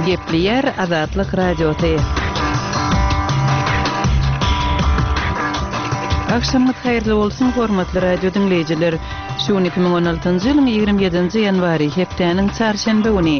Gepleýär Azatlyk Radiosy. Agşamyňyz haýyrly bolsun, hormatly radio diňleýjiler! Şu gün 2016-njy ýylyň 27-nji ýanwary, hepdäniň çarşenbe güni.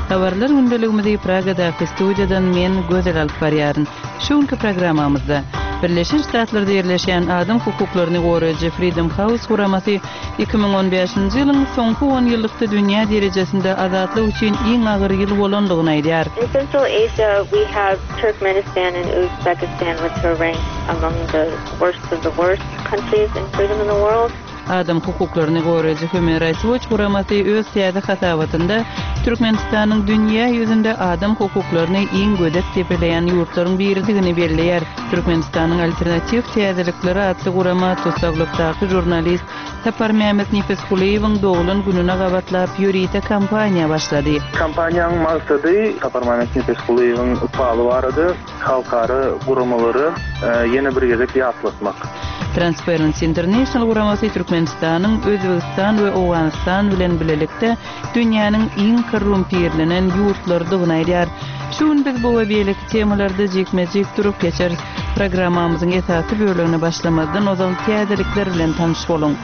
Habarlar gündeligimizi Pragadaky studiýadan men, Gözel alyp barýaryn. Şu günki programmamyzda, Birleşen Ştatlarda ýerleşýän adam hukuklaryny goraýjy Freedom House guramasy 2015-nji ýylyň soňky onýyllykda dünýä derejesinde azatlyk üçin iň agyr ýyl bolandygyny aýdýar. In Central Asia we have Turkmenistan and Uzbekistan which are ranked among the worst of the worst countries in freedom in the world. Adam hukuklaryny goraýjy Human Rights Watch guramasy öz täze hasabatynda Türkmenistanyň dünýä ýüzünde adam hukuklaryny iň gödek depeleýän ýurtlaryň biridigini belleýär. Türkmenistanyň Alternatiw täzelikleri atly gurama tussaglykdaky žurnalist Saparmämmet Nepesgulyýewiň doglan gününe gabatlap ýörite kampaniýa başlady. Kampaniýanyň maksady Saparmämmet Nepesgulyýewiň ykbaly barada halkara guramalary ýene bir gezek ýatlatmak. Transparency International guramasy Türkmenistanyň Özbegistan we Owganystan bilen bilelikde dünýäniň iň korrumpirlenen ýurtlarydygyny aýdýar. Şu gün biz bu we beýleki temalarda jikme-jik durup geçeris. Programmamyzyň esasy bölegine başlamazdan ozal täzelikler bilen tanyş boluň.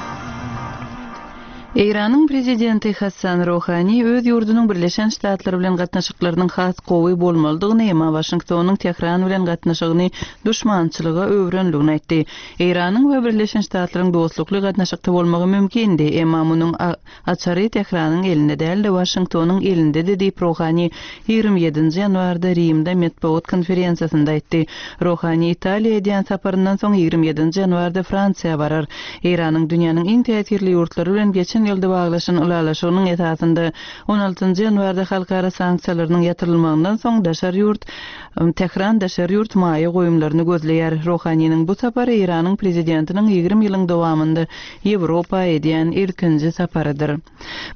Eýranyň prezidenti Hassan Rohani öz ýurdunyň Birleşen Ştatlar bilen gatnaşyklarynyň has gowy bolmalydygyny, emma Waşingtonyň Tähran bilen gatnaşygyny duşmançylyga öwrenligini aýtdy. Eýranyň we Birleşen Ştatlaryň dostlukly gatnaşykda bolmagy mümkindi, emma munuň Açary Tähranyň elinde däl-de, Waşingtonyň elindedi diýip, Rohani 27-nji ýanwarda Rimde metbugat konferensiýasynda aýtdy. Rohani Italiýa edýän saparyndan soň 27-nji ýanwarda Fransiýa barar. Eýranyň dünýäniň iň täsirli ýurtlary bilen geçen ýylda baglaşan ylalaşygynyň esasynda 16-njy ýanwarda halkara sanksiýalarynyň ýatyrylmagyndan soň daşary ýurt Tähran daşary ýurt maýa goýumlaryny gözleýär. Rohaniniň bu sapary Eýranyň prezidentiniň 20 ýylyň dowamynda Ýewropa edýän ilkinji saparydyr.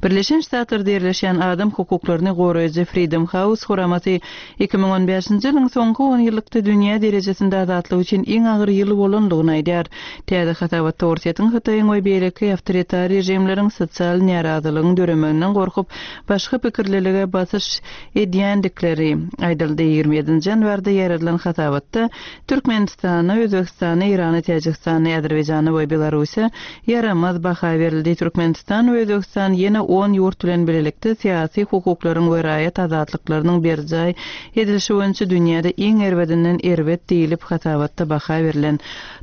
Birleşen Ştatlarda ýerleşýän adam hukuklaryny goraýjy Freedom House guramasy 2015-nji ýylyň soňky onýyllykda dünýä derejesinde azatlyk üçin iň agyr ýyl bolandygyny aýdýar. Täze hasabatda Orsýetiň, Hytaýyň we beýleki awtoritar režimleriň sosial närazylygyň döremeginden gorkup, başga pikirlilige basyş edýändikleri aýdyldy. 27-nji ýanwarda ýaýradylan hasabatda Türkmenistana, Özbegistana, Eýrana, Täjigistana, Azerbaýjana we Belarusa ýaramaz baha berildi. Türkmenistan we Özbegistan ýene on ýurt bilen bilelikde syýasy hukuklaryň we raýat azatlyklarynyň berjaý edilişi boýunça dünýäde iň erbedinden erbet diýlip hasabatda baha berlen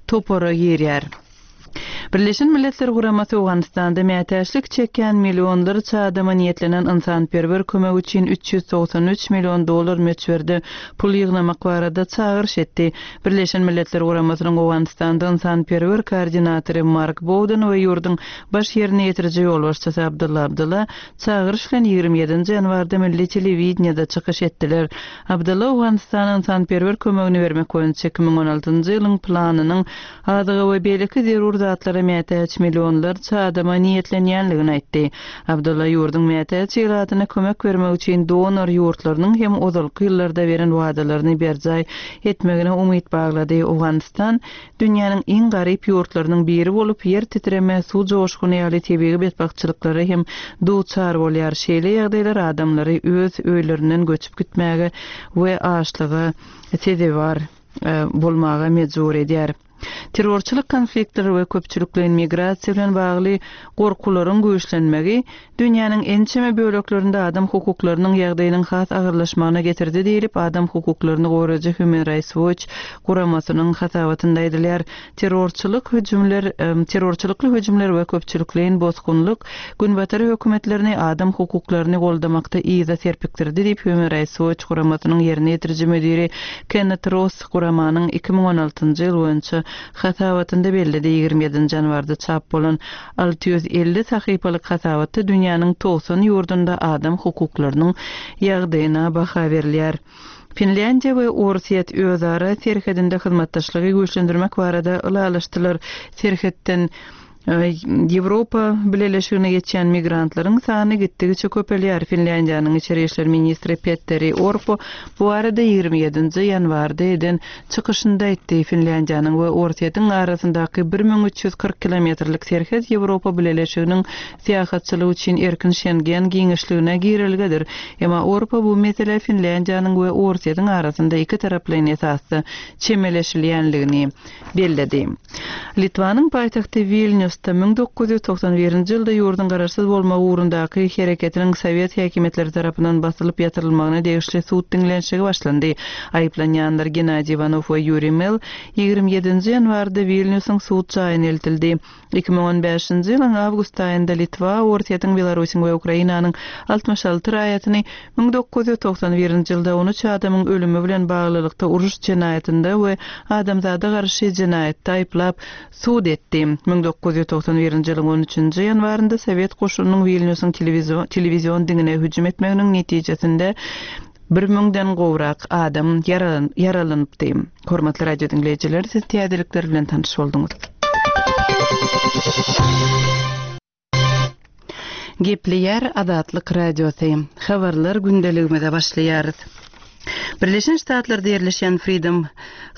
topara girýär. Birleşen Milletler Guramasy Owganystanda mätäçlik çekýän millionlarça adama niýetlenen ynsanperwer kömek üçin 393 million dollar möçberde pul ýygnamak barada çagyryş etdi. Birleşen Milletler Guramasynyň Owganystanda ynsanperwer koordinatory Mark Bowden we ýurduň baş ýerine ýetiriji ýolbaşçysy Abdylla Abdylla çagyryş bilen 27-nji ýanwarda milli telewideniýede çykyş etdiler. Abdylla Owganystana ynsanperwer kömegini bermek boýunça 2016-njy ýylyň planynyň Azyga we beýleki zerur zatlara mätäç millionlarça adama niýetlenýänligini aýtdy. Abdulla ýurduň mätäç ilatyna kömek bermek üçin donor ýurtlarynyň hem ozalky ýyllarda beren wadalaryny berjaý etmegine umyt baglady. Owganystan dünýäniň iň garyp ýurtlarynyň biri bolup, ýer titreme, suw joşguny ýaly tebigy betbagtçylyklara hem duçar bolýar. Şeýle ýagdaýlar adamlary öz öýlerinden göçüp gitmäge we açlyga sezewar bolmaga mejbur edýär. Terrorçylyk konfliktleri we köpçülikleýin migrasiýa bilen bagly gorkularyň güýçlenmegi dünýäniň ençeme böleklerinde adam hukuklarynyň ýagdaýynyň has agyrlaşmagyna getirdi diýlip, adam hukuklaryny goraýjy Human Rights Watch guramasynyň hasabatynda aýdylýar. Terrorçylyk hüjümler, terrorçylykly hüjümler we köpçülikleýin bosgunlyk Günbatar hökümetlerini adam hukuklaryny goldamakda yza serpikdirdi diýip, Human Rights Watch guramasynyň ýerine ýetiriji müdiri Kennet Ross guramanyň 2016-njy ýyl boýunça hasabatynda belledi. 27-nji ýanwarda çap bolan 650 sahypalyk hasabatda dünýäniň 90 ýurdunda adam hukuklarynyň ýagdaýyna baha berilýär. Finlýandiýa we Orsýet özara serhedinde hyzmatdaşlygy güýçlendirmek barada ylalaşdylar. Serhetden. Ýewropa Bileleşigine geçýän migrantlaryň sany gitdigiçe köpelýär. Finlýandiýanyň içeri işler ministri Petteri Orpo bu barada 27-nji ýanwarda eden çykyşynda aýtdy. Finlýandiýanyň we Orsýetiň arasyndaky 1340 kilometrlik serhet Ýewropa Bileleşiginiň syýahatçylyk üçin erkin Şengen giňişligine girelgedir. Emma Orpo bu meselä Finlýandiýanyň we Orsýetiň arasynda ikitaraplaýyn esasda çemeleşilýänligini belledi. Litwanyň paýtagty Wilnýusda 1991-nji ýylda ýurduň garaşsyz bolmagy ugrundaky hereketiniň sowet häkimiýetleri tarapyndan basylyp ýatyrylmagyna degişli sud diňlenişigi başlandy. Aýyplanýanlar Gennadiý Iwanow we Ýuriý Mel 27-nji ýanwarda Wilnýusyň sud jaýyna eltildi. 2015-nji ýylyň awgust aýynda Litwa Orsýetiň, Belarusyň we Ukrainanyň 66 raýatyny 1991-nji ýylda on üç adamyň ölümi bilen baglylykda uruş jenaýatynda we adamzada garşy jenaýatda aýyplap, sud etdi. 1991-nji ýylyň on üçünji ýanwarynda sowet goşunynyň Wilnýusyň telewizion diňine hüjüm etmeginiň netijesinde bir müňden gowrak adam ýaralanypdy. Hormatly radio diňleýjiler, siz täzelikler bilen tanyş bolduňyz. Gepleýär Azatlyk Radiosy. Habarlar gündeligimize başlaýarys. Birleşen Ştatlarda ýerleşýän Freedom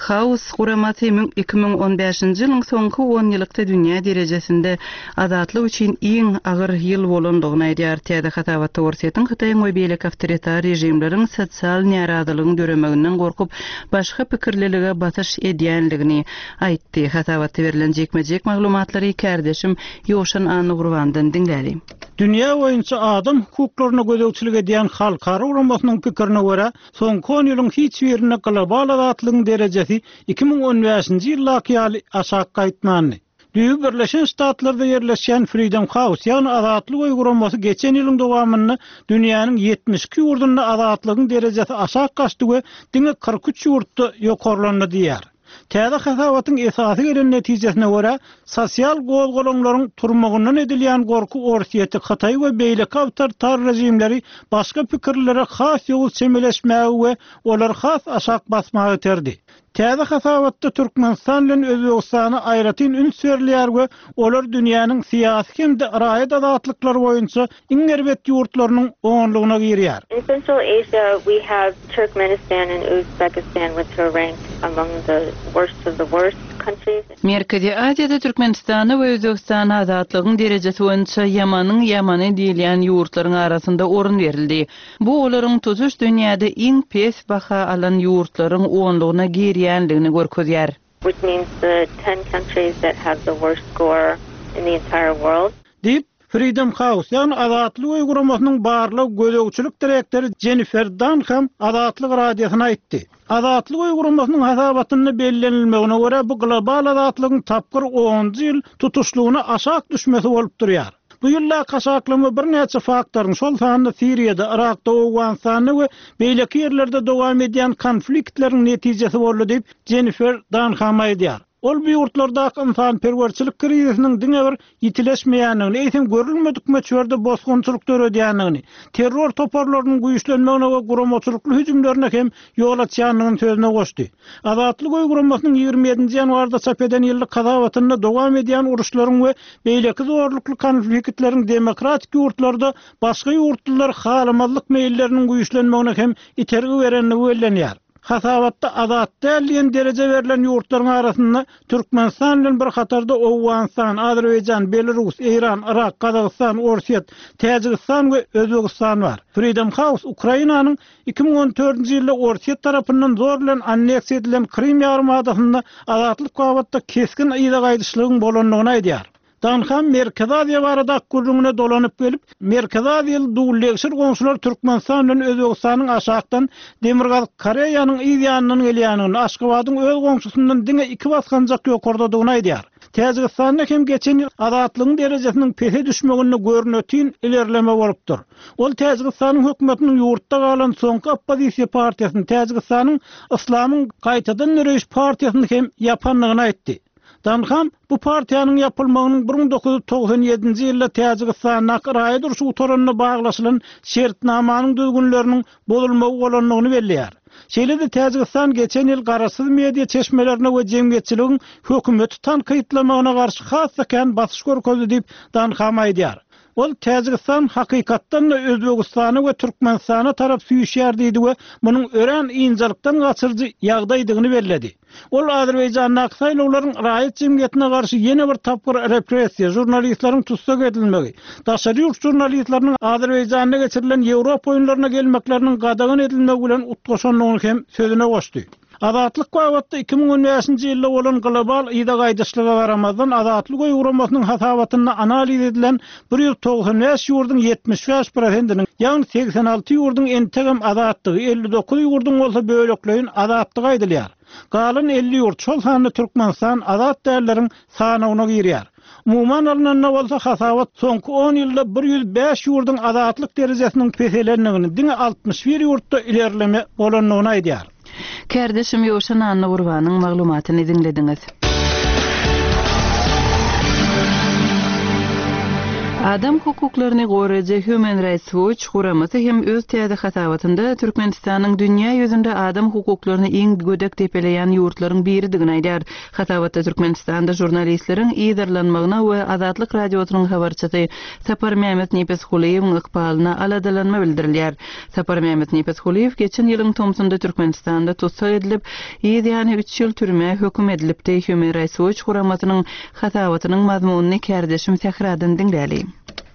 House guramasy 2015-nji ýylyň soňky onýylykda dünýä derejesinde azatlyk üçin iň agyr ýyl bolandygyny aýdýar. Täze hasabatda Orsýetiň, Hytaýyň we beýleki awtoritar režimleriň sosial närazylygyň döremeginden gorkup, başga pikirlilige basyş edýändigini aýtdy. Hasabatda berlen jikme-jik maglumatlary kärdeşim Ýowşan Annagurbandan diňläli. Dünýä boýunça adam hukuklaryna gözegçilik edýän halkara guramasynyň pikirine görä, soňky on ýylyň hiç birinde global azatlygyň derejesi 2015-nji ýyldaky ýaly aşak gaýtmandy. Düýbi Birleşen Ştatlarda ýerleşýän Freedom House, ýagny Azatlyk öýi guramasy geçen ýylyň dowamynda dünýäniň 72 ýurdunda azatlygyň derejesi aşak gaçdy we diňe 43 ýurtda ýokarlandy diýýär. Täze hasabatyň esasy gelen netijesine görä, sosial gozgalaňlaryň turmagyndan edilýän gorky Orsýeti, Hytaýy we beýleki awtoritar režimleri başga pikirlilere has ýowuz çemeleşmäge we olary has aşak basmaga iterdi. Täze hasabatda Türkmenistan bilen Özbegistana aýratyn üns berilýär we olar dünýäniň syýasy hem-de raýat azatlyklary boýunça iň erbet ýurtlarynyň onlugyna girýär. In Central Asia we have Turkmenistan and Uzbekistan which are ranked among the worst of the worst countries. Merkezi Aziýada Türkmenistana we Özbegistana azatlygyň derejesi boýunça ýamanyň ýamany diýilýän ýurtlaryň arasynda orun berildi. Bu olaryň tutuş dünýäde iň pes baha alan ýurtlaryň onlugyna girýändigini görkezýär. Which means the ten countries that have the worst score in the entire world. Diýip, Freedom House, ýagny Azatlyk öýi guramasynyň barlag-gözegçilik direktory Jennifer Dunham Azatlyk Radiosyna aýtdy. Azatlyk öýi guramasynyň hasabatynda bellenilmegine görä, bu global azatlygyň tapgyr onunjy ýyl tutuşlygyna aşak düşmesi bolup durýar. Bu ýyldaky aşaklama birnäçe faktoryň, şol sanda Siriýada, Yrakda, Owganystanda we beýleki ýerlerde dowam edýän konfliktleriň netijesi boldy diýip, Jennifer Dunham aýdýar. Ol bu ýurtlardaky ynsanperwerçilik krizisiniň diňe bir ýitileşmeýändigini, eýsem görülmedik möçberde bosgunçylyk döredýändigini, terror toparlarynyň güýçlenmegine we guramaçylykly hüjümlerine hem ýol açýandygyny sözüne goşdy. Azatlyk öýi guramasynyň 27-nji ýanwarda çap eden ýyllyk hasabatynda dowam edýän uruşlaryň we beýleki zorlukly konfliktleriň demokratik ýurtlarda başga ýurtlulary halamazlyk meýilleriniň güýçlenmegine hem itergi berendigi bellenýär. Hasabatda azat däl diýen dereje berlen ýurtlaryň arasynda Türkmenistan bilen bir hatarda Owganystan, Azerbaýjan, Belarus, Eýran, Yrak, Gazagystan, Orsýet, Täjigistan we Özbegistan bar. Freedom House Ukrainanyň 2014-nji ýylda Orsýet tarapyndan zor bilen anneksiýa edilen Krym ýarymadasynda azatlyk babatda kesgin yza gaýdyşlygyň bolandygyny aýdýar. Danham Merkezi Aziýa baradaky gürrüňine dolanyp gelip, Merkezi Aziýaly dul-degşir goňşular Türkmenistan bilen Özbegistanyň aşakdan Demirgazyk Koreýanyň yz ýanyndan gelýändigini, Aşgabadyň öz goňşusyndan diňe iki basgançak ýokardadygyny aýdýar. Täjigistanda hem geçen ýyl azatlygyň derejesiniň pese düşmeginde görnetin ilerleme bolupdyr. Ol Täjigistanyň hökümetiniň ýurtda galan soňky oppozisiýa partiýasyny, Täjigistanyň Yslamyň gaýtadan döreýiş partiýasyny hem ýapandygyny aýtdy. Danham bu partiýanyň ýapylmagynyň 1997-nji ýylda Täjigistandaky raýat urşy gutaranda baglaşylan şertnamanyň düzgünleriniň bozulmagy bolandygyny belleýär. Şeýle-de Täjigistan geçen ýyl garaşsyz media çeşmelerine we jemgyýetçiligiň hökümeti tankytlamagyna garşy has-da kän basyş görkezdi diýip, Danham aýdýar. Ol Täjigistan hakykatdan-da Özbegistana we Türkmenistana tarap süýşýär diýdi we munuň örän ynjalykdan gaçyryjy ýagdaýdygyny belledi. Ol Azerbaýjandaky saýlawlaryň raýat jemgyýetine garşy ýene bir tapgyr repressiýa, žurnalistleriň tussag edilmegi, daşary ýurt žurnalistleriniň Azerbaýjanda geçirilen Ýewropa oýunlaryna gelmekleriniň gadagan edilmegi bilen utgaşandygyny hem sözüne goşdy. Azatlyk babatda 2015-nji ýylda bolan global yza gaýdyşlyga garamazdan, Azatlyk öýi guramasynyň hasabatynda analiz edilen 195 ýurduň 75 prosentiniň, ýagny 86 ýurduň entegem azatdygy, 59 ýurduň bolsa bölekleýin azatdygy aýdylýar. Galan 50 ýurt, şol sanda Türkmenistan azat dälleriň sanawyna girýär. Umuman alnanda bolsa, hasabat soňky on ýylda 105 ýurduň azatlyk derejesiniň peselendigini, diňe 61 ýurtda ilerleme bolandygyny aýdýar. Kärdeşim Ýowşan Annagurbanyň maglumatyny diňlediňiz. Adam hukuklaryny goraýjy Human Rights Watch guramasy hem öz täze hasabatynda Türkmenistanyň dünýä ýüzünde adam hukuklaryny iň gödek depeleýän ýurtlaryň biridigini aýdýar. Hasabatda Türkmenistanda žurnalistleriň yzarlanmagyna we Azatlyk Radiosynyň habarçysy Saparmämmet Nepesgulyýewiň ykbalyna aladalanma bildirilýär. Saparmämmet Nepesgulyýew geçen ýylyň tomsunda Türkmenistanda tussag edilip, yz ýany üç ýyl türmä höküm edilipdi. Human Rights Watch guramasynyň hasabatynyň mazmunyny kärdeşim Sähradan diňläli.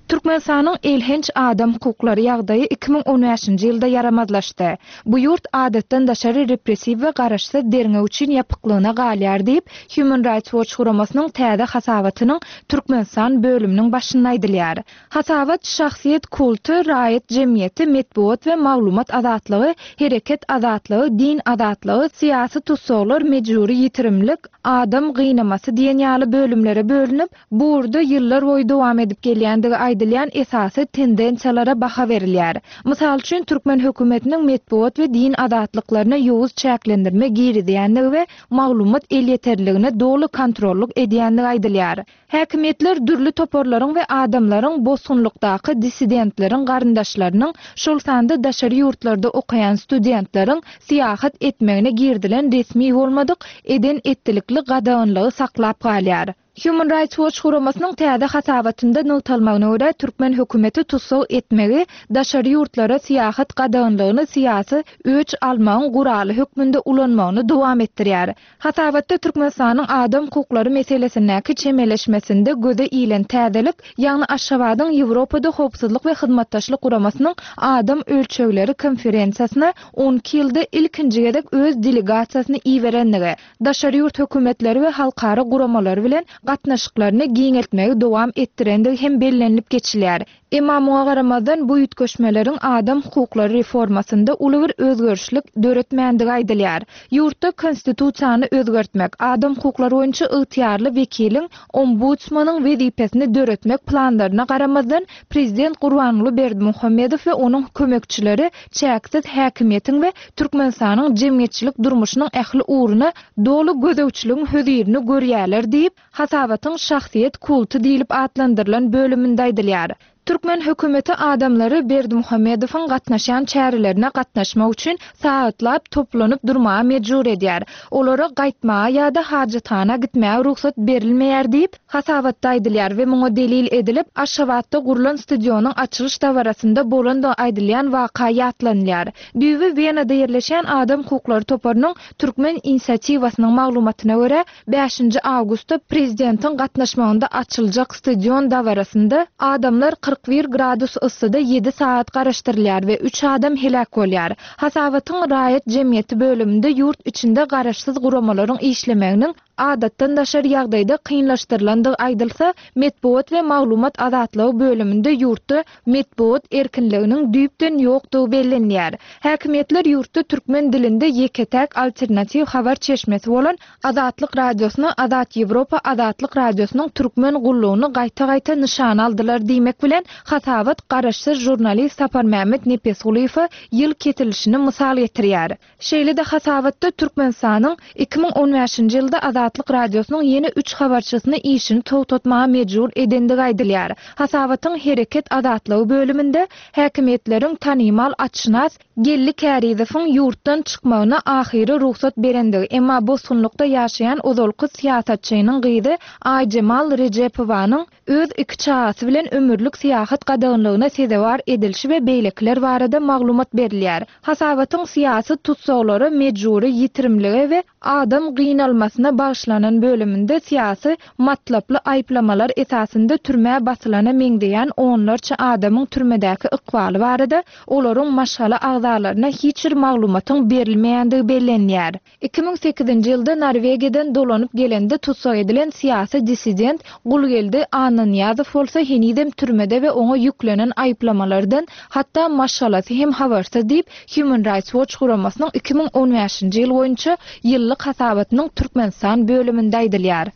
Türkmenistanyň elhenç adam hukuklary ýagdaýy 2015-nji ýylda ýaramazlaşdy. Bu ýurt adatdan daşary repressiw we garaşsyz derňew üçin ýapyklygyna galýar diýip, Human Rights Watch guramasynyň täze hasabatynyň Türkmenistan bölüminiň başynda aýdylýar. Hasabat şahsyýet kulty, raýat jemgyýeti, metbugat we maglumat azatlygy, hereket azatlygy, din azatlygy, syýasy tussaglar, mejbury ýitirimlik, adam gynamasy diýen ýaly bölümlere bölünip, Bu ugurda ýyllar boýy dowam edip gelýändigi aýdylýan esasy tendensiýalara baha berilýär. Mysal üçin, türkmen hökümetiniň metbugat we din azatlyklaryna ýowuz çäklendirme girizýändigi we maglumat elýeterliligine doly kontrollyk edýändigi aýdylýar. Häkimiýetler dürli toparlaryň we adamlaryň, bosgunlykdaky dissidentleriň garyndaşlarynyň, şol sanda daşary ýurtlarda okaýan studentleriň syýahat etmegine girizilen resmi bolmadyk eden-etdilikli gadaganlygy saklap galýar. Human Rights Watch guramasynyň täze hasabatynda nygtalmagyna görä, türkmen hökümeti tussag etmegi daşary ýurtlara syýahat gadaganlygyny syýasy öç almagyň guraly hökmünde ulanmagyny dowam etdirýär. Hasabatda Türkmenistanyň adam hukuklary meselesindäki çemeleşmesinde göze ilen täzelik, ýagny Aşgabadyň Ýewropada Howpsuzlyk we Hyzmatdaşlyk Guramasynyň Adam ölçegleri konferensiýasyna 12 ýylda ilkinji gezek öz delegasiýasyny iberenligi, daşary ýurt hökümetleri we halkara guramalary bilen gatnaşyklaryny giňeltmegi dowam etdirendigi hem bellenilip geçilýär. Emma muňa garamazdan, bu üýtgeşmeleriň adam hukuklary reformasynda uly bir özgerişlik döretmändigi aýdylýar. Ýurtda Konstitusiýany özgertmek, adam hukuklary boýunça ygtyýarly wekiliň, ombudsmanyň wezipesini döretmek planlaryna garamazdan, prezident Gurbanguly Berdimuhamedow we onuň kömekçileri çäksiz häkimiýetiň we Türkmenistanyň jemgyýetçilik durmuşynyň ähli ugruna doly gözegçiligiň hözirini görýärler diýip, hasabatyň Şahsyýet kulty diýlip atlandyrylan bölüminde aýdylýar. Türkmen hökümeti adamlary Berdimuhamedowyň gatnaşýan çärelerine gatnaşmak üçin sagatlap toplanyp durmaga mejbur edýär. Olara gaýtmaga ýa-da hajathana gitmäge rugsat berilmeýär diýip, hasabatda aýdylýar we muňa delil edilip, Aşgabatda gurlan stadionyň açylyş dabarasynda bolandygy aýdylýan waka ýatlanylýar. Düýbi Wenada ýerleşýän adam hukuklary toparynyň Türkmen inisiatiwasynyň maglumatyna görä, bäşinji awgustda prezidentiň gatnaşmagynda açyljak stadion dabarasynda adamlar 41 gradus yssyda ýedi sagat garaşdyrylýar we üç adam heläk bolýar. Hasabatyň Raýat jemgyýeti bölüminde ýurt içinde garaşsyz guramalaryň işlemeginiň adatdan daşary ýagdaýda kynlaşdyrylandygy aýdylsa, Metbugat we maglumat azatlygy bölüminde ýurtda metbugat erkinliginiň düýpden ýokdugy bellenýär. Häkimiýetler ýurtda türkmen dilinde ýeke-täk alternatiw habar çeşmesi bolan Azatlyk Radiosyny Azat Ýewropa Azatlyk Radiosynyň türkmen gullugyny gaýta-gaýta nyşana aldylar diýmek bilen, hasabat garaşsyz žurnalist Saparmämmet Nepesgulyýewe ýyl kesilişini mysal getirýär. Şeýle-de hasabatda Türkmenistanyň 2015-nji ýylda Azatlyk Radiosynyň ýene üç habarçysyny işini togtatmaga mejbur edendigi aýdylýar. Hasabatyň Hereket azatlygy bölüminde häkimiýetleriň tanymal atşynas. Geldi Kärizowyň ýurtdan çykmagyna ahyry rugsat berendigi, emma bosgunlykda ýaşaýan ozalky syýasatçynyň gyzy Aýjemal Rejepowanyň öz iki çagasy bilen ömürlik syýahat gadaganlygyna sezewar edilişi we beýlekiler barada maglumat berilýär. Hasabatyň syýasy tussaglara mejbury ýitirimlige we adam gynalmasyna bagyşlanan bölüminde syýasy matlaply aýyplamalar esasynda türmä basylana meňzeýän onlarça adamyň türmedäki ykbaly barada olaryň maşgala agzalaryna hiç bir maglumatyň berilmeýändigi bellenýär. 2008-nji ýylda Norwegiýadan dolanyp gelende tussag edilen syýasy dissident Gulgeldi Annanyýazow bolsa henizem türmede we oňa ýüklenen aýyplamalardan hatda maşgalasy hem habarsyz diýip, Human Rights Watch guramasynyň 2015-nji ýyl boýunça ýyllyk hasabatynyň Türkmenistan bölüminde aýdylýar.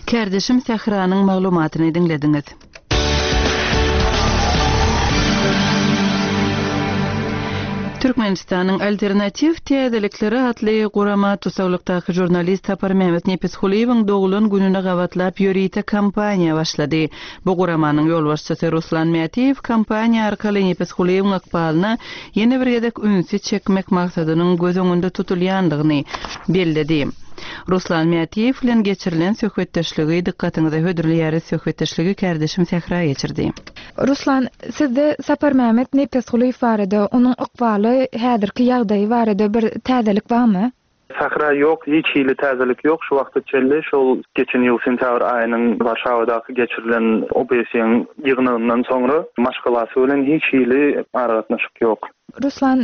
Kärdeşim Sähranyň maglumatyny diňlediňiz. Türkmenistanyň Alternatiw täzelikleri atly gurama tussaglykdaky žurnalist Saparmämmet Nepesgulyýewiň doglan gününe gabatlap ýörite kampaniýa başlady. Bu guramanyň ýolbaşçysy Ruslan Mätiýew kampaniýa arkaly Nepesgulyýewiň ykbalyna ýene bir gezek ünsi çekmek maksadynyň göz öňünde tutulýandygyny belledi. Ruslan Mätiýew bilen geçirilen söhbetdeşligi dykgatyňyza hödürleýäris. Söhbetdeşligi kärdeşim Sähra geçirdi. Ruslan, sizde Saparmämmet Nepesgulyýew barada, onuň ykbaly, häzirki ýagdaýy barada bir täzelik barmy? Sähra, Ýok, hiç hili täzelik ýok şu wagta çenli. Şol geçen ýyl sentýabr aýynyň Warşawadaky geçirilen OBSE-iň ýygnagyndan soňra maşgalasy bilen hiç hili aragatnaşyk ýok. Ruslan,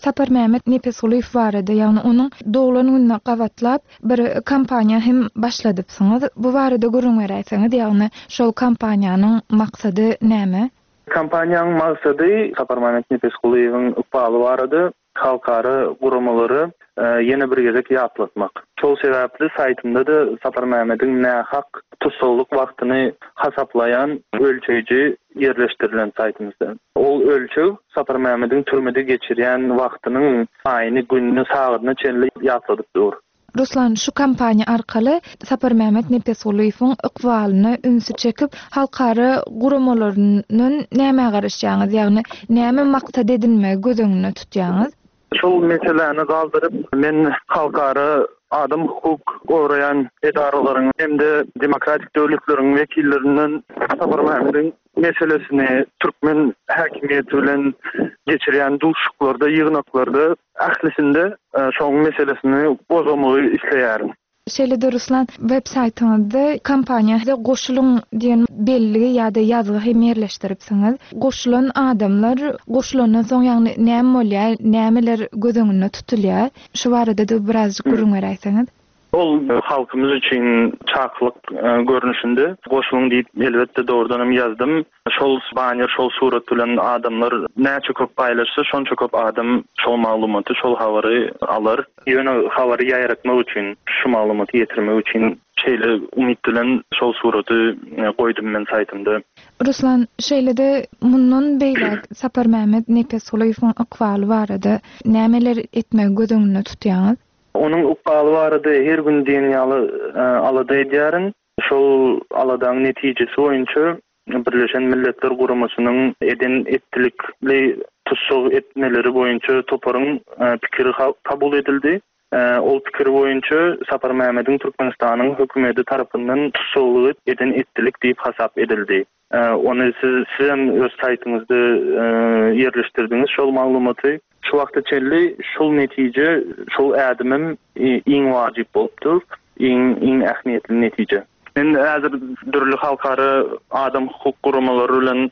Saparmämmet Nepesgulyýew barada, ýagny onuň doglan gününe gabatlap bir kampaniýa hem başladypsyňyz. Bu barada gürrüň beräýseňiz, ýagny şol kampaniýanyň maksady näme? Kampaniýanyň maksady Saparmämmet Nepesgulyýewiň ykbaly barada halkara guramalary ýene bir gezek ýatlatmak. Şol sebäpli saýtymda-da Saparmämmediň nähak tussaglyk wagtyny hasaplaýan ölçeýji ýerleşdirilen saýtymyzda. Ol ölçeg Saparmämmediň türmede geçirýän wagtynyň aýyny, gününi, sagadyna çenli ýatladyp dur. Ruslan, şu kampaniýa arkaly Saparmämmet Nepesgulyýewiň ykbalyna ünsi çekip, halkara guramalaryndan nämä garaşýaňyz, ýagny näme maksat edinmegi göz öňünde tutýaňyz? Şol meseläni galdyryp, men halkara adam hukuk goraýan edaralaryň hem-de demokratik döwletleriň wekillerinden Saparmämmediň meselesini türkmen häkimiýeti bilen geçirýän duşuşyklarda, ýygnaklarda ählisinde şoň meselesini gozgamagy isleýärin. Şeýle-de Ruslan, web saýtyňyzda kompaniýa goşulyň diýen belligi ýa-da ýazgy hem ýerleşdiripsiňiz. Goşulan adamlar goşulandan soň ýagny näme bolýar, nämeler göz öňünde tutulýar? Şu barada-da birazjyk gürrüň beräýseňiz. Ol halkymyz üçin çakylyk görnüşinde goşulyň diýip elbetde dogrudan hem ýazdym. Şol banner, şol surat bilen adamlar näçe köp paýlaşsa, şonça köp adam şol maglumaty, şol habary alar. Ýöne habary ýaýratmak üçin, şu maglumaty ýetirmek üçin şeýle umyt bilen şol suraty goýdum men saýtymda. Ruslan, şeýle-de mundan beýläk Saparmämmet Nepesgulyýewiň ykbaly barada nämeler etmegi göz öňünde tutýaňyz? Onuň ykbaly barada her gün diýen ýaly alada edýärin. Şol aladaň netijesi boýunça Birleşen Milletler Guramasynyň eden-etdilikli tussag etmeleri boýunça toparyň pikiri kabul edildi. Ol pikir boýunça Saparmämmediň Türkmenistanyň hökümeti tarapyndan tussaglygy eden-etdilik diýip hasap edildi. Ony siz sizem öz saýtyňyzda ýerleşdirdiňiz şol maglumaty. Şu wagta çenli şol netije, şol ädimim iň wajyp bolup dur, iň iň ähmiýetli netije. Men häzir dürli halkara adam hukuk guramalary bilen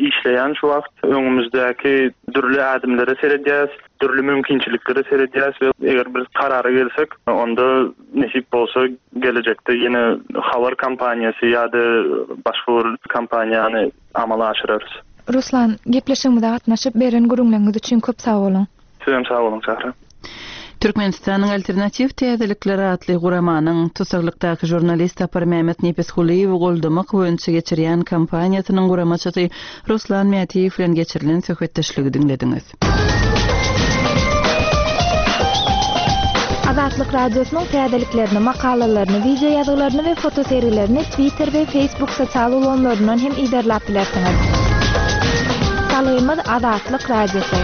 işleýän şu wagt. Öňümizdäki dürli ädimlere seredýäs, dürli mümkinçiliklere seredýäs we eger biz karara gelsek, onda nesip bolsa gelejekde ýene habar kampaniýasy ýa-da başga bir kampaniýany amala aşyrarys. Ruslan, gepleşigimize gatnaşyp, beren gürrüňleriňiz üçin köp sag boluň! Sizem sag boluň, Sähra. Türkmenistanyň Alternatiw täzelikleri atly guramanyň tussaglykdaky žurnalist Saparmämmet Nepesgulyýewi goldamak boýunça geçirýän kampaniýasynyň guramaçysy Ruslan Mätiýew bilen geçirilen söhbetdeşligi diňlediňiz. Azatlyk Radiosynyň täzeliklerini, makalalaryny, wideo ýazgylaryny we fotosergilerini Twitter we Facebook sosial ulgamlaryndan hem yzarlap bilersiňiz. Salgymyz Azatlyk Radiosy.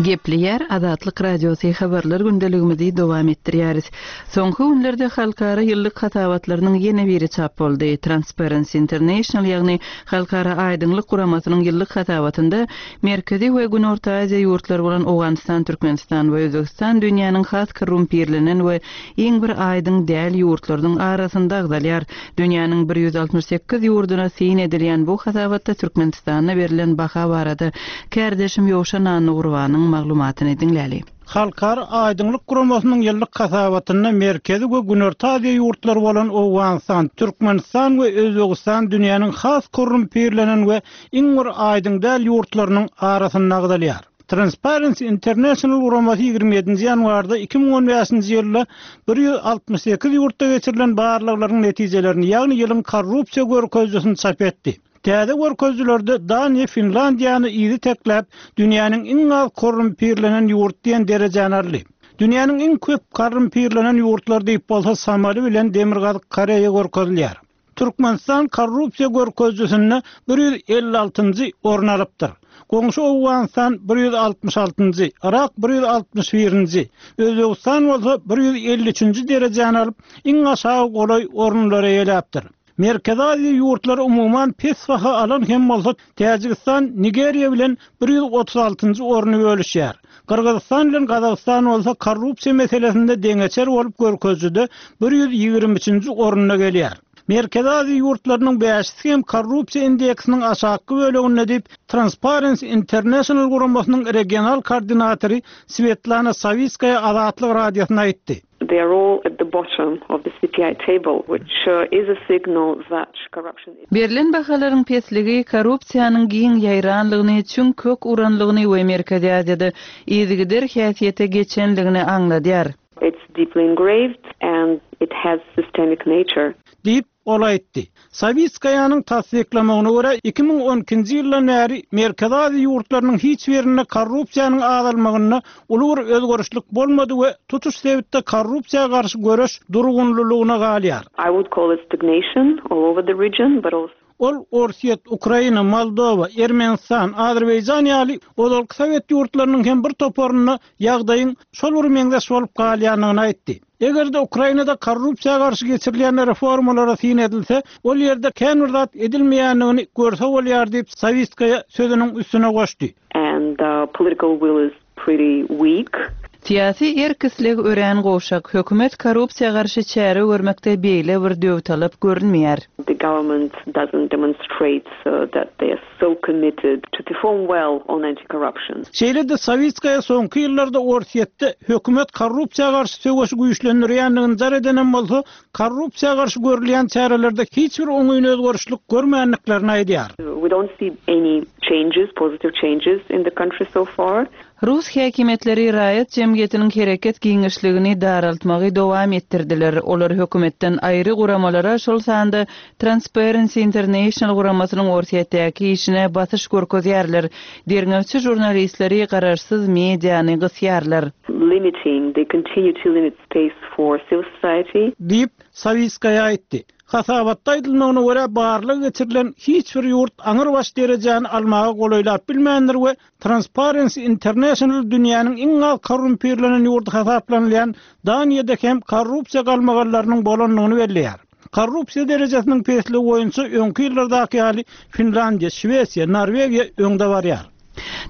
Gepleýär Azatlyk Radiosy habarlar gündeligimizi dowam etdirýäris. Soňky günlerde halkara ýyllyk hasabatlarynyň ýene biri çap boldy. Transparency International ýagny Halkara aýdyňlyk guramasynyň ýyllyk hasabatynda Merkezi we Günorta Aziýa ýurtlary bolan Owganystan, Türkmenistan we Özbegistan dünýäniň has korrumpirlenen we iň bir aýdyň däl ýurtlarynyň arasynda agzalýar. Dünýäniň 168 ýurduna syn edilýän bu hasabatda Türkmenistana berlen baha barada kärdeşim Ýowşan Annagurbanyň maglumatyny diňläli. Halkara aýdyňlyk guramasynyň ýyllyk hasabatynda Merkezi we Günorta Aziýa ýurtlary bolan Owganystan, Türkmenistan we Özbegistan dünýäniň has korrumpirlenen we iň bir aýdyň däl ýurtlarynyň arasynda agzalýar. Transparency International guramasy 27-nji ýanwarda 2015-nji ýylda 168 ýurtda geçirilen barlaglaryň netijelerini, ýagny ýylyň korrupsiýa görkezijisini çap etdi. Täze görkezijilerde Daniýa Finlandiýany yzy tekläp, dünýäniň iň az korrumpirlenen ýurdy diýen derejäni aldy. Dünýäniň iň köp korrumpirlenen ýurtlary diýip bolsa Somali bilen Demirgazyk Koreýa görkezilýär. Türkmenistan korrupsiýa görkezijisinde 156-njy orun alypdyr. Goňşy Owganystan 166-njy, Yrak 161-nji, Özbegistan bolsa 153-nji derejäni alyp, iň aşagy golaý orunlary eýeläpdir. Merkezi Aziýa ýurtlary umuman pes baha alan hem bolsa, Täjigistan Nigeriýa bilen 136-njy orny bölüşýär. Gyrgyzystan bilen Gazagystan bolsa korrupsiýa meselesinde deňeçer bolup görkezijide 123-nji orunda gelýär. Merkezi Aziýa ýurtlarynyň bäşisi hem korrupsiýa indeksiniň aşakky böleginde diýip, Transparency International guramasynyň regional koordinatory Swetlana Sawitskaýa Azatlyk Radiosyna aýtdy. They are all at the bottom of the CPI table, which is a signal that corruption is. Berlen bahalaryň pesligi korrupsiýanyň giň ýaýranlygyny, çüň kök uranlygyny we Merkezi Aziýada yzygider häsiýete geçenligini aňladýar. It's deeply engraved and it has systemic nature. Diýip, Ol aýtdy. Sawitskaýanyň tassyklamagyna görä, 2012-nji ýyldan bäri Merkezi Aziýa ýurtlarynyň hiç birinde korrupsiýanyň azalmagynda uly bir özgerişlik bolmady we tutuş sebitde korrupsiýa garşy göreş durgunlylygyna galýar. I would call it stagnation all over the region, but also. Ol Orsýet, Ukraina, Moldowa, Ermenistan, Azerbaýjan ýaly ozalky sowet ýurtlarynyň hem bir toparynda ýagdaýyň şol bir meňzeş bolup galýandygyny aýtdy. Eger-de Ukrainada korrupsiýa garşy geçirilýän reformalara syn edilse, ol ýerde kän bir zat edilmeýändigini görse bolýar diýip, Sawitskaýa sözüniň üstüne goşdy. And the political will is pretty weak. Syýasy erk-isleg örän gowşak. Hökümet korrupsiýa garşy çäre görmekde beýle bir döwtalap görünmeýär. The government doesn't demonstrate that they are so committed to perform well on anti-corruption. Şeýle-de Sawitskaýa soňky ýyllarda Orsýetde hökümet korrupsiýa garşy söweşi güýçlendirýändigini jar edenem bolsa, korrupsiýa garşy görülýän çärelerde hiç bir oňyn özgerişlik görmändiklerini aýdýar. We don't see any changes, positive changes in the country so far. Rus häkimiýetleri raýat jemgyýetiniň hereket giňişligini daraltmagy dowam etdirdiler. Olar hökümetden aýry guramalara, şol sanda Transparency International guramasynyň Orsýetdäki işine basyş görkezýärler, derňewçi žurnalistleri, garaşsyz mediany gysýarlar. Limiting, they continue to limit space for civil society. Diýip, Sawitskaýa aýtdy. Hasabatda aýdylmagyna görä, barlag geçirilen hiç bir ýurt aňrybaş derejäni almaga golaýlap bilmändir we Transparency International dünýäniň iň az korrumpirlenen ýurdy hasaplanylýan Daniýada hem korrupsiýa galmagallarynyň bolandygyny belleýär. Korrupsiýa derejesiniň pesligi boýunça öňki ýyllardaky ýaly Finlandiýa, Şwesiýa, Norwegiýa öňde barýar.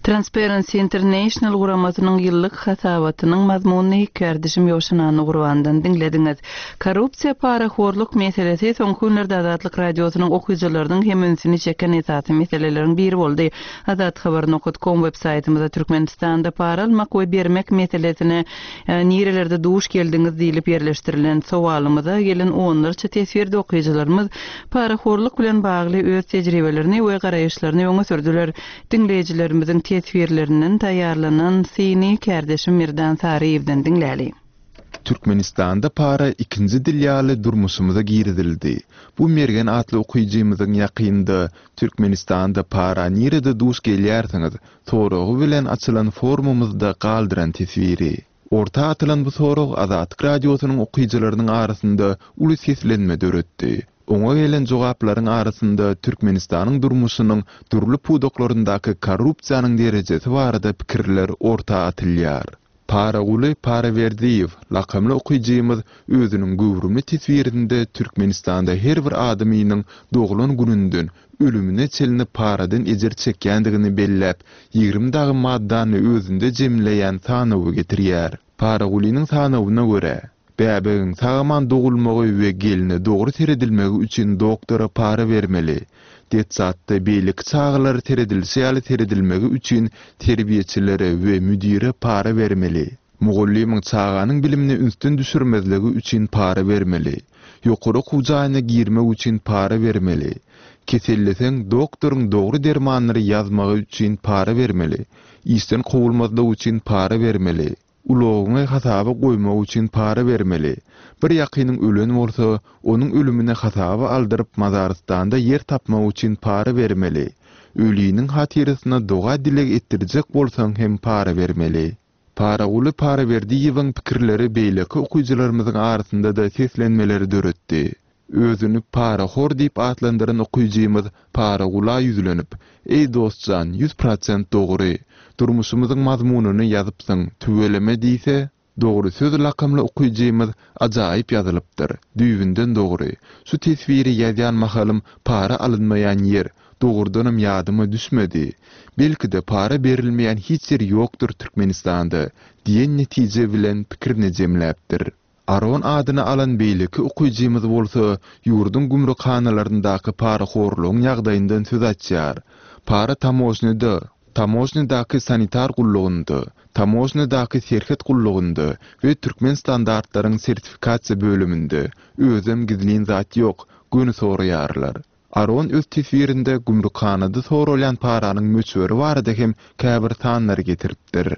Transparency International guramasynyň ýyllyk hasabatynyň mazmunyny kärdeşim Ýowşan Annagurbandan diňlediňiz. Korrupsiýa, parahorluk meselesi soňky günlerde Azatlyk Radiosynyň okyjylarynyň hem ünsüni çeken esasy meseleleriň biri boldy. Azathabar nokat kom web saýtymyzda Türkmenistanda para almak we bermek meselesine nirelerde duş geldiňiz diýlip ýerleşdirilen sowalymyza gelen onlarça teswirde okyjylarymyz parahorluk bilen bagly öz tejribelerini we garaýyşlaryny öňe sürdüler. Diňleýjilerimiziň teswirlerinden taýýarlanan syny kärdeşim Merdan Saryýewden diňläli. Türkmenistanda para ikinji dil ýaly durmuşymyza girizildi. Bu Mergen atly okyjymyzyň ýakynda Türkmenistanda para nirede duş gelýärsiňiz? soragy bilen açylan forumymyzda galdyran teswiri. Orta atylan bu sorag Azatlyk Radiosynyň okyjylarynyň arasynda uly seslenme döretdi. Oňa gelen jogaplaryň arasynda Türkmenistanyň durmuşynyň dürli pudaklaryndaky korrupsiýanyň derejesi barada pikirler orta atylýar. Paraguly Paraberdiýew lakamly okyjymyz özüniň göwrümli teswirinde Türkmenistanda her bir adamynyň doglan gününden ölümine çenli paradan ejir çekýändigini belläp, 20 dagy maddany özünde jemleýän sanawy getirýär. Paragulynyň sanawyna görä, bäbegiň sag-aman dogulmagy we gelne dogry seredilmegi üçin doktora para bermeli. Detsatda beýleki çagalara seredilişi ýaly seredilmegi üçin terbiýeçilere we müdire para bermeli. Mugallymyň çaganyň bilimini ünsden düşürmezligi üçin para bermeli. Ýokary okuw jaýyna girmek üçin para bermeli. Keselleseň, doktoryň dogry dermanlary ýazmagy üçin para bermeli. Işden kowulmazlyk üçin para bermeli. Ulagyňy hasaba goýmak üçin para bermeli. Bir ýakynyň ölen bolsa, onuň ölümini hasaba aldyryp mazarystanda ýer tapmak üçin para bermeli. Öliniň hatyrasyna doga-dileg etdirjek bolsaň hem para bermeli. Paraguly Paraberdiýewiň pikirleri beýleki okyjylarymyzyň arasynda-da seslenmeleri döretdi. Özüni parahor diýip atlandyran okyjymyz Paragula ýüzlenip, Eý dostjan, 100% dogry. Durmuşymyzyň mazmunyny ýazypsyň, tüweleme diýse, Dogry söz lakamly okyjymyz Ajaýyp ýazylypdyr. Düýbünden dogry. Şu teswiri ýazýan mahalym para alynmaýan ýer, dogrudanam ýadyma düşmedi. Belki-de para berilmeýän hiç ýer ýokdur Türkmenistanda diýen netije bilen pikirini jemläpdir. Aron adyny alan beýleki okyjymyz bolsa ýurduň gümrükhanalaryndaky parahorlugyň ýagdaýyndan söz açýar. Para tamožnyda, tamožnydaky sanitar gullugynda, tamožnydaky serhet gullugynda we Türkmenstandartlaryň sertifikasiýa bölüminde, özem gizlin zat ýok, göni soraýarlar. Aron öz teswirinde gümrükhanada soralýan paranyň möçberi barada hem käbir sanlary getiripdir.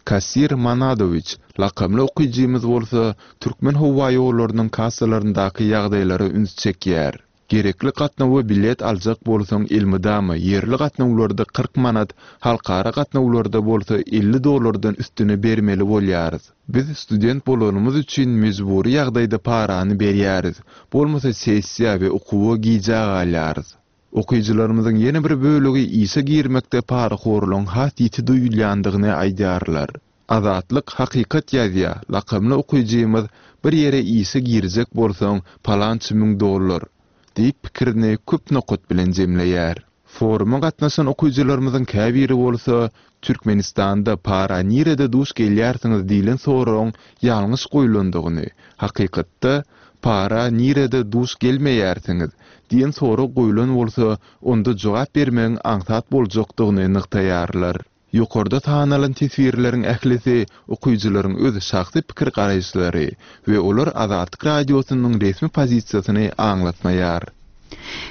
Kassir Manadowiç lakamly okyjymyz bolsa Türkmenhowaýollarynyň kassalaryndaky ýagdaýlara üns çekýär. Gerekli gatnawa bilet aljak bolsaň elmydama ýerli gatnawlarda 40 manat, halkara gatnawlarda bolsa 50 dollardan üstüne bermeli bolýarys. Biz student bolanymyz üçin mejbury ýagdaýda parany berýäris, bolmasa sessiýa we okuwa gijä galýarys. Okyjylarymyzyň ýene bir bölegi işe girmekde parahorlugyň has ýiti duýulýandygyny aýdýarlar. Azatlyk hakykat ýazýa lakamly okyjymyz bir ýere işe girjek bolsaň palança müň dollar diýip pikirini köp nokat bilen jemleýär. Foruma gatnaşan okyjylarymyzyň käbiri bolsa Türkmenistanda para nirede duş gelýärsiňiz diýlen soragyň ýalňyş goýlandygyny, hakykatda para nirede duş gelmeýärsiňiz diýen sorag goýlan bolsa, onda jogap bermegiň aňsat boljakdygyny nygtaýarlar. Ýokarda sanalan teswirleriň ählisi okyjylaryň öz şahsy pikir-garaýyşlary we olar Azatlyk Radiosynyň resmi pozisiýasyny aňlatmaýar.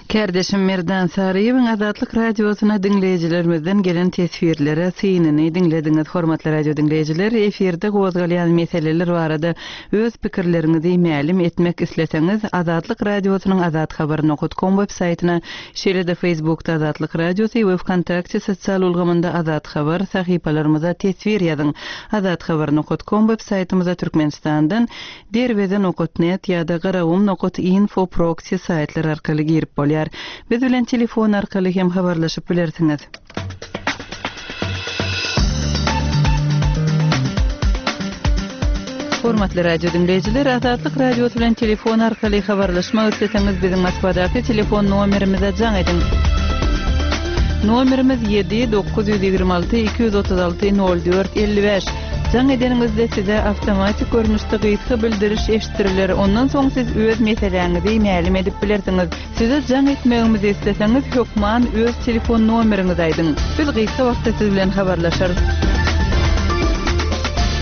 Kärdeşim Merdan Saryýewiň Azatlyk Radiosyna diňleýjilerimizden gelen teswirlere synyny diňlediňiz. Hormatly radio diňleýjiler, efirde gozgalýan meseleler barada öz pikirleriňizi mälim etmek isleseňiz, Azatlyk Radiosynyň azathabar nokat kom web saýtyna, şeýle-de Facebookda Azatlyk Radiosy we Wkontakte sosial ulgamynda Azathabar sahypalarymyza teswir ýazyň. Azathabar nokat kom web saýtymyza Türkmenistandan Derweze nokat net ýa-da Garagum nokat info proksi saýtlar arkaly girip bolýar. Biz bilen telefon arkaly hem habarlaşyp bilersiňiz. Hormatly radio diňleýjiler, Azatlyk Radiosy bilen telefon arkaly habarlaşmak isleseňiz biziň Moskwadaky telefon nomerimize jaň ediň. Nomerimiz 7 926 236 04 55. Jaň edeniňizde size awtomatik görnüşde gysga bildiriş eşitdiriler, ondan soň siz öz meseläňizi mälim edip bilersiňiz. Size jaň etmegimizi isleseňiz, hökman öz telefon nomeriňizi aýdyň. Biz gysga wagtda siz bilen habarlaşarys.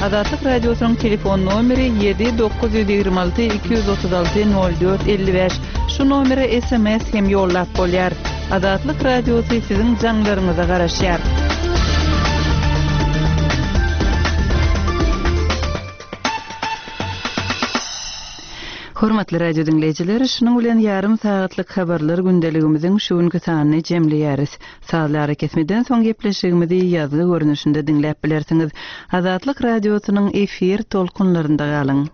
Azatlyk Radiosynyň telefon nomeri 7 926 236 04 55. Şu nomere sms hem ýollap bolýar. Azatlyk Radiosy siziň jaňlaryňyza garaşýar. Hormatly radio diňleýjiler, şunuň bilen ýarym sagatlyk habarlar gündeligimiziň şu günki sanyny jemleýäris. Sazly arakesmeden soň gepleşigimizi ýazgy görnüşinde diňläp bilersiňiz. Azatlyk Radiosynyň efir tolkunlarynda galyň.